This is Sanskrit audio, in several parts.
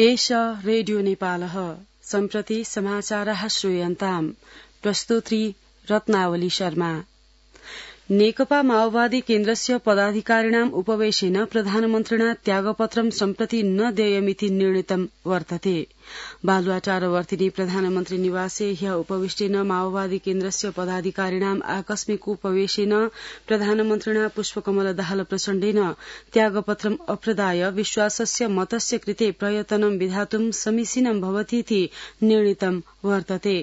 एष रेडियो नेपालः सम्प्रति समाचारः श्रूयन्ताम्। प्रस्तुत्री रत्नावली शर्मा। नेकपा माओवादी केन्द्रस्य पदाधिकारिणाम् उपवेशेन प्रधानमन्त्रिणा त्यागपत्रं सम्प्रति न देयमिति निर्णीतं वर्तते। बालुवाटारवर्तिनी प्रधानमन्त्री निवासे ह्य उपविष्टेन माओवादी केन्द्रस्य पदाधिकारिणाम् आकस्मिक उपवेशेन प्रधानमन्त्रिणा पुष्पकमल दाहाल प्रचण्डेन त्यागपत्रम् अप्रदाय विश्वासस्य मतस्य कृते प्रयतनं विधातुं समीचीनं भवतीति निर्णीतं वर्तते।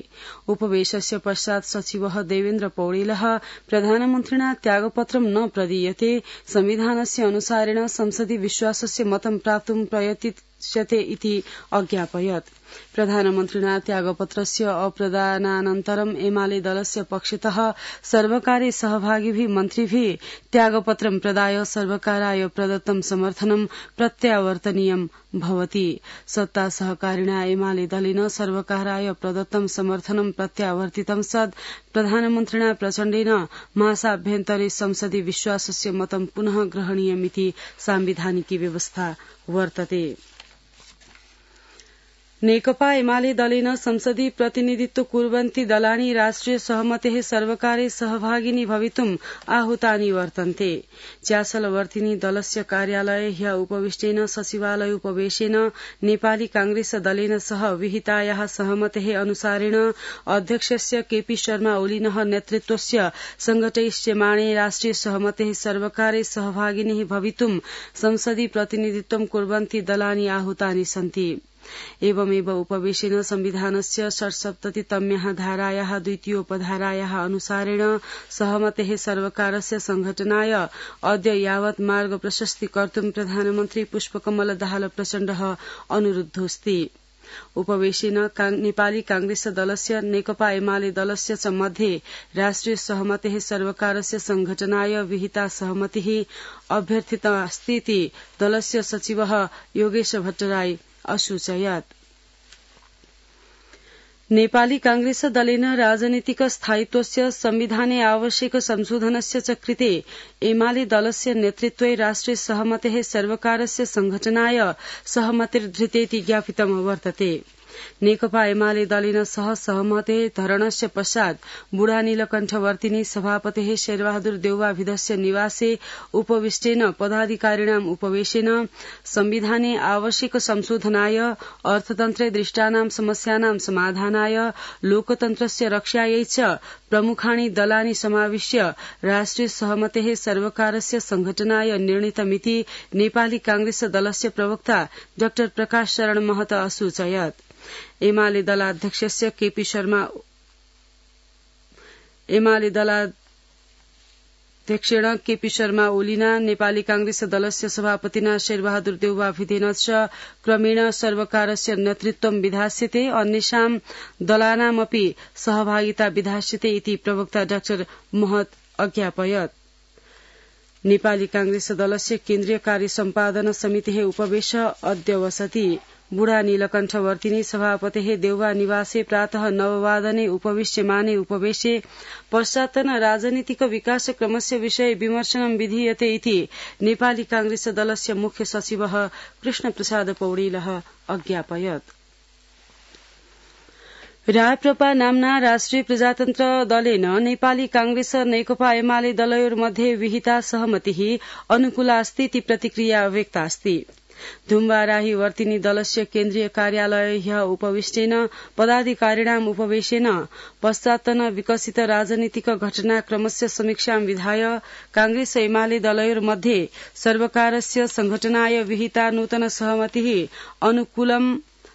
उपवेशस्य पश्चात् सचिवः देवेन्द्र पौडेलः प्रधानमन्त्रिणा त्यागपत्रं न प्रदीयते संविधानस्य अनुसारेण संसदि विश्वासस्य मतं प्राप्तुं प्रयतिष्यते इति अज्ञापयत्। प्रधानमन्त्रिणा त्यागपत्रस्य अप्रदानानन्तरं एमाले दलस्य पक्षतः सर्वकारे सहभागिभिः मन्त्रिभिः त्यागपत्रं प्रदाय सर्वकाराय प्रदत्तं समर्थनं प्रत्यावर्तनीयं भवति। सत्ता सहकारिणा एमाले दलेन सर्वकाराय प्रदत्तं समर्थनं प्रत्यावर्तितं सद् प्रधानमन्त्रिणा प्रचण्डेन मासाभ्यन्तरे संसदि विश्वासस्य मतं पुनः ग्रहणीयमिति सांविधानिकी व्यवस्था वर्तते। नेकपा एमाले दलेन संसदि प्रतिनिधित्व कुर्वन्ति दलानि राष्ट्रिय सहमतेः सर्वकारे सहभागिनी भवितुम् आहूतानि वर्तन्ते। च्यासलवर्तिनी दलस्य कार्यालये ह्य उपविष्टेन सचिवालय उपवेशेन नेपाली कांग्रेस दलेन सह विहितायाः सहमतेः अनुसारेण अध्यक्षस्य केपी शर्मा ओलिनः नेतृत्वस्य संघटयिष्यमाणे राष्ट्रिय सहमतेः सर्वकारे सहभागिनी भवितुम् संसदि प्रतिनिधित्वं कुर्वन्ति दलानि आहूतानि सन्ति। एवमेव उपवेशेन संविधानस्य 67तम्याः धारायाः द्वितीयोपधारायाः अनुसारेण सहमतेः सर्वकारस्य संघटनाय अद्य यावत् मार्ग प्रशस्ति कर्तुं प्रधानमन्त्री पुष्पकमल दाहाल प्रचण्डः अनुरुद्धोऽस्ति। उपवेशेन नेपाली कांग्रेस दलस्य नेकपा एमाले दलस्य च मध्ये राष्ट्रिय सहमतेः सर्वकारस्य संघटनाय विहिता सहमतिः अभ्यर्थितास्तीति दलस्य सचिवः योगेश भट्टराई असूचयत्। नेपाली कांग्रेस दलेन राजनीतिक स्थायित्वस्य संविधाने आवश्यक संशोधनस्य च कृते एमाले दलस्य नेतृत्वे राष्ट्रिय सहमतेः सर्वकारस्य संघटनाय सहमतिर्धृतेति ज्ञापितं वर्तते। नेकपा एमाले दलेन सह सहमते धरणस्य पश्चात् बुढा नीलकण्ठवर्तिनी सभापतेः शेरबहादुर देउवाभिधस्य निवासे उपविष्टेन पदाधिकारिणाम् उपवेशेन संविधाने आवश्यक संशोधनाय अर्थतन्त्रे दृष्टानां समस्यानां समाधानाय लोकतन्त्रस्य रक्षायै च प्रमुखाणि दलानि समाविश्य राष्ट्रिय सहमतेः सर्वकारस्य संघटनाय निर्णीतमिति नेपाली कांग्रेस दलस्य प्रवक्ता डाक्टर प्रकाश शरण महत असूचयत्। एमाले दलाध्यक्षस्य केपी शर्मा ओलिना नेपाली कांग्रेस दलस्य सभापतिना शेरबहादुर देउवाभिधेन च क्रमेण सर्वकारस्य नेतृत्वं विधास्यते अन्येषां दलानामपि सहभागिता विधास्यते इति प्रवक्ता डाक्टर महत अज्ञापयत्। नेपाली कांग्रेस दलस्य केन्द्रीय कार्य सम्पादन समितेः उपवेश अद्य वसति। बुढा नीलकण्ठवर्तिनी सभापतेः देउवा निवासे प्रातः 9 वादने उपविश्यमाने उपवेशे पश्चात्तन राजनीतिक विकासक्रमस्य विषये विमर्शनं विधीयते इति नेपाली कांग्रेस दलस्य मुख्य सचिवः कृष्णप्रसाद पौडेलः अज्ञापयत्। राप्रपा नाम्ना राष्ट्रिय प्रजातन्त्र दलेन नेपाली कांग्रेस नेकपा एमाले दलयोर्मध्ये विहिता सहमतिः अनुकूलास्तीति प्रतिक्रिया व्यक्तास्ति। धुम्बाराही वर्तिनी दलस्य केन्द्रीय कार्यालय ह्य उपविष्टेन पदाधिकारिणाम् उपवेशेन पश्चात्तन विकसित राजनीतिक घटनाक्रमस्य समीक्षां विधाय कांग्रेस एमाले दलयोर्मध्ये सर्वकारस्य संघटनाय विहिता नूतन सहमतिः अनुकूलं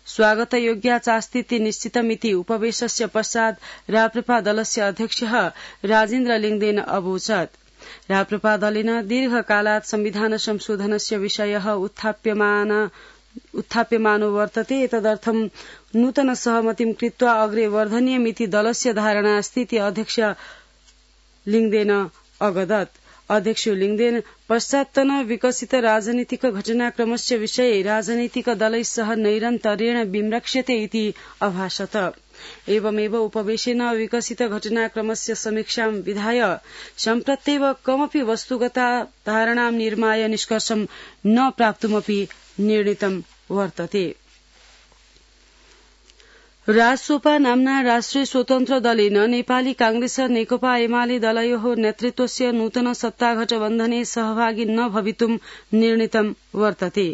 स्वागतयोग्या चास्तीति निश्चितमिति उपवेशस्य पश्चात् राप्रपा दलस्य अध्यक्षः राजेन्द्र लिङदेन अवोचत्। राप्रपा दलेन दीर्घकालात् संविधान संशोधनस्य विषयः उत्थाप्यमानो वर्तते। एतदर्थं नूतन सहमतिं कृत्वा अग्रे वर्धनीयमिति दलस्य धारणा अस्तीति अध्यक्ष लिङदेन अवगदत्। अध्यक्ष लिङदेन पश्चात्तन विकसित राजनीतिक घटनाक्रमस्य विषये राजनीतिक दलैः सह नैरन्तर्येण विमृक्ष्यते इति अभाषत। एवमेव उपवेशेन विकसित घटनाक्रमस्य समीक्षां विधाय सम्प्रत्येव कमपि वस्तुगता धारणां निर्माय निष्कर्षं न प्राप्तुमपि निर्णीतं वर्तते। राजसोपा नाम्ना राष्ट्रिय स्वतन्त्र दलेन नेपाली कांग्रेस नेकपा एमाले दलयोः नेतृत्वस्य नूतन सत्ता गठबन्धने सहभागी न भवितुं निर्णीतं वर्तते।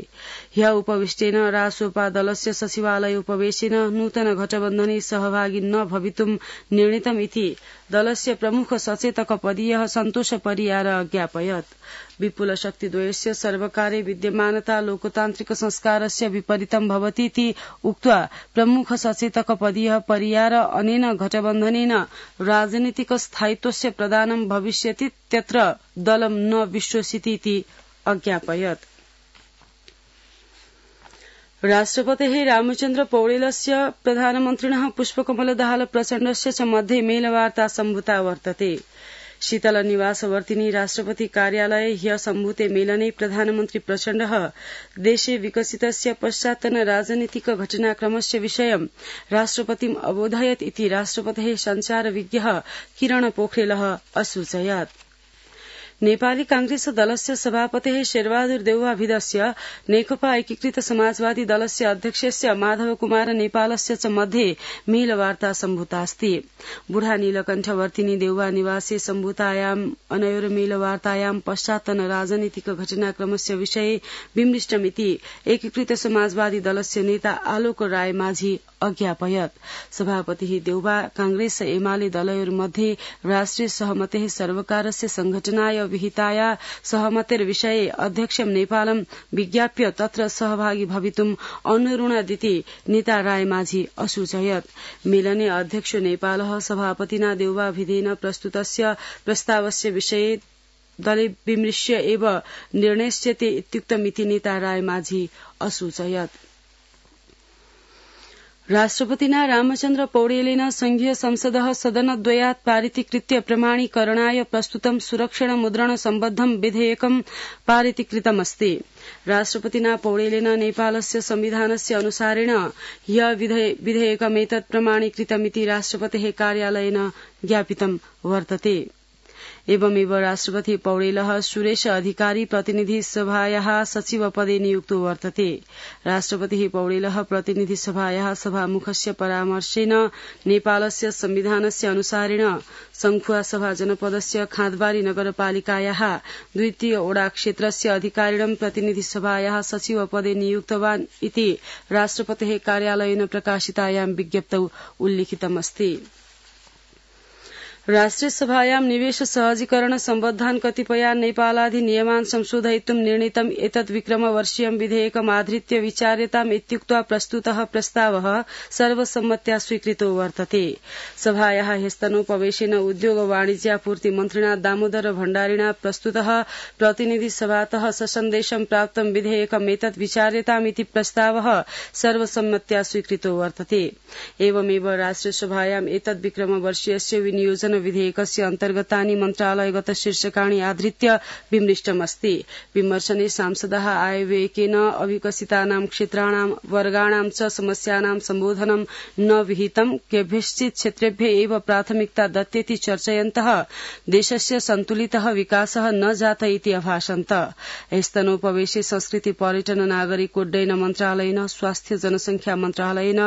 ह्य उपविष्टेन राजसोपा दलस्य सचिवालय उपवेशेन नूतन गठबन्धने सहभागी न भवितुं निर्णीतम् इति दलस्य प्रमुख सचेतक पदीयः सन्तोष परियार ज्ञापयत्। विपुल शक्तिद्वयस्य सर्वकारे विद्यमानता लोकतान्त्रिक संस्कारस्य विपरीतं भवतीति उक्त्वा प्रमुख सचेतक पदीयः परियार अनेन गठबन्धनेन राजनीतिक स्थायित्वस्य प्रदानं भविष्यति त्यत्र दलं न विश्वसिति इति अज्ञापयत्। राष्ट्रपतेः रामचन्द्र पौडेलस्य प्रधानमन्त्रिणः पुष्पकमल दाहाल प्रचण्डस्य च मध्ये मेलवार्ता सम्भूता वर्तते। शीतल निवासवर्तिनी राष्ट्रपति कार्यालये ह्य सम्भूते मेलने प्रधानमन्त्री प्रचण्डः देशे विकसितस्य पश्चात्तन राजनीतिक घटनाक्रमस्य विषयं राष्ट्रपतिम् अबोधयत् इति राष्ट्रपतेः सञ्चार विज्ञः किरण पोखरेलः असूचयत्। नेपाली कांग्रेस दलस्य सभापतेः शेरबहादुर देउवाभिदस्य नेकपा एकीकृत समाजवादी दलस्य अध्यक्षस्य माधव कुमार नेपालस्य च मध्ये मेलवार्ता सम्भूतास्ति। बुढा नीलकण्ठवर्तिनी देउवा निवासे सम्भूतायाम् अनयोर मेलवार्तायां पश्चात्तन राजनीतिक घटनाक्रमस्य विषये विमृष्टमिति एकीकृत समाजवादी दलस्य नेता आलोक राय माझी अज्ञापयत्। सभापतिः देउवा कांग्रेस एमाले दलयोर्मध्ये राष्ट्रिय सहमतेः सर्वकारस्य संघटनाय विहिताया सहमतेर्विषये अध्यक्षं नेपालं विज्ञाप्य तत्र सहभागी भवितुम् अनुरुणदिति नेता राय माझी असूचयत्। मेलने अध्यक्ष नेपालः सभापतिना देउवाभिधेन प्रस्तुतस्य प्रस्तावस्य विषये दले विमृश्य एव निर्णयस्यते इत्युक्तमिति नेता राय माझी असूचयत्। राष्ट्रपतिना रामचन्द्र पौडेलेन संघीय संसदः सदनद्वयात् पारितीकृत्य प्रमाणीकरणाय प्रस्तुतं सुरक्षण मुद्रण सम्बद्धं विधेयकं पारितीकृतमस्ति। राष्ट्रपतिना पौडेलेन नेपालस्य संविधानस्य अनुसारेण ह्य विधेयकमेतत् प्रमाणीकृतमिति राष्ट्रपतेः कार्यालयेन ज्ञापितं वर्तते। एवमेव राष्ट्रपति पौडेलः सुरेश अधिकारी प्रतिनिधि सभायाः सचिव पदे नियुक्तो वर्तते। राष्ट्रपतिः पौडेलः प्रतिनिधि सभायाः सभामुखस्य परामर्शेन नेपालस्य संविधानस्य अनुसारेण संखुवा सभा जनपदस्य खाँदबारी नगरपालिकायाः द्वितीय ओडा क्षेत्रस्य अधिकारिणं प्रतिनिधि सभायाः सचिव पदे नियुक्तवान् इति राष्ट्रपतेः कार्यालयेन प्रकाशितायां विज्ञप्तौ उल्लिखितमस्ति। राष्ट्रिय सभायां निवेश सहजीकरण सम्बद्धान् कतिपयान् नेपालाधिनियमान् संशोधयितुं निर्णीतम् एतद् विक्रमवर्षीयं विधेयकमाधृत्य विचार्यताम् इत्युक्त्वा प्रस्तुतः प्रस्तावः सर्वसम्मत्या स्वीकृतो वर्तते। सभायाः ह्यस्तनोपवेशेन उद्योग वाणिज्यापूर्ति मन्त्रिणा दामोदर भण्डारिणा प्रस्तुतः प्रतिनिधि सभातः ससन्देशं प्राप्तं विधेयकमेतत् विचार्यताम् इति प्रस्तावः सर्वसम्मत्या स्वीकृतो वर्तते। एवमेव राष्ट्रिय सभायां एतद् विक्रमवर्षीयस्य विनियोजन विधेयकस्य अन्तर्गतानि मन्त्रालयगत शीर्षकाणि आधृत्य विमृष्टमस्ति। विमर्शने सांसदः आयव्ययकेन अविकसितानां क्षेत्राणां वर्गाणां च समस्यानां सम्बोधनं न विहितं केभ्यश्चित् क्षेत्रेभ्य एव प्राथमिकता दत्तेति चर्चयन्तः देशस्य सन्तुलितः विकासः न जात इति अभाषन्त। स्तनोपवेशे संस्कृति पर्यटन नागरिकोड्डयन मन्त्रालयेन स्वास्थ्य जनसंख्या मन्त्रालयेन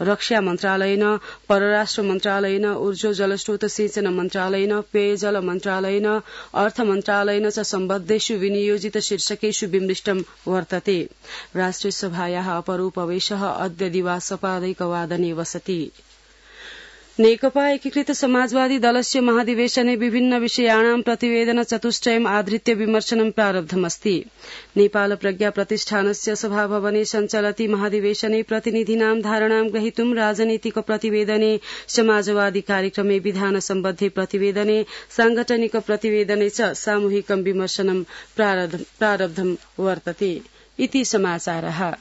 रक्षा मन्त्रालयेन परराष्ट्र मन्त्रालयेन ऊर्जा जलस्रोत सिंचन मन्त्रालयेन पेयजल मन्त्रालयेन अर्थ मन्त्रालयेन च सम्बद्धेषु विनियोजित शीर्षकेषु विमृष्टं वर्तते। राष्ट्रिय सभायाः अपरोपवेशः अद्य दिवासपादैकवादने वसति। नेकपा एकीकृत समाजवादी दलस्य महाधिवेशने विभिन्न विषयाणां प्रतिवेदन चतुष्टयम् आधृत्य विमर्शनं प्रारब्धमस्ति। नेपाल प्रज्ञा प्रतिष्ठानस्य सभाभवने सञ्चलति महाधिवेशने प्रतिनिधीनां धारणां ग्रहीतुं राजनीतिक प्रतिवेदने समाजवादी कार्यक्रमे विधान सम्बद्धे प्रतिवेदने सांगठनिक प्रतिवेदने च सामूहिकं विमर्शनं प्रारब्धं वर्तते इति समाचारः।